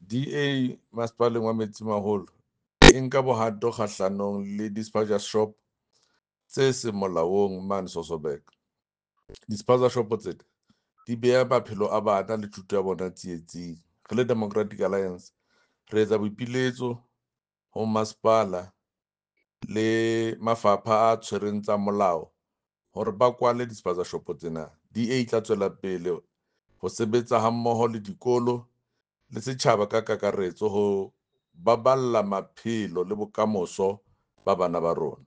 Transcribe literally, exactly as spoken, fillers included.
D A Masepaleng wa Metsimaholo e nka bohato kgahlanong le di-spaza shop tse seng molaong mane Sasolburg. Di-spaza shop tsena di beha maphelo a bana le thuto ya bona tsietsing. Re le Democratic Alliance re etsa boipiletso ho masepala le mafapha a tshwereng tsa molao hore ba kwale di-spaza shop tsena. D A e tla tswela pele ho sebetsa hammoho le dikolo le setjhaba ka kakaretso ho baballa maphelo le bokamoso ba bana ba rona.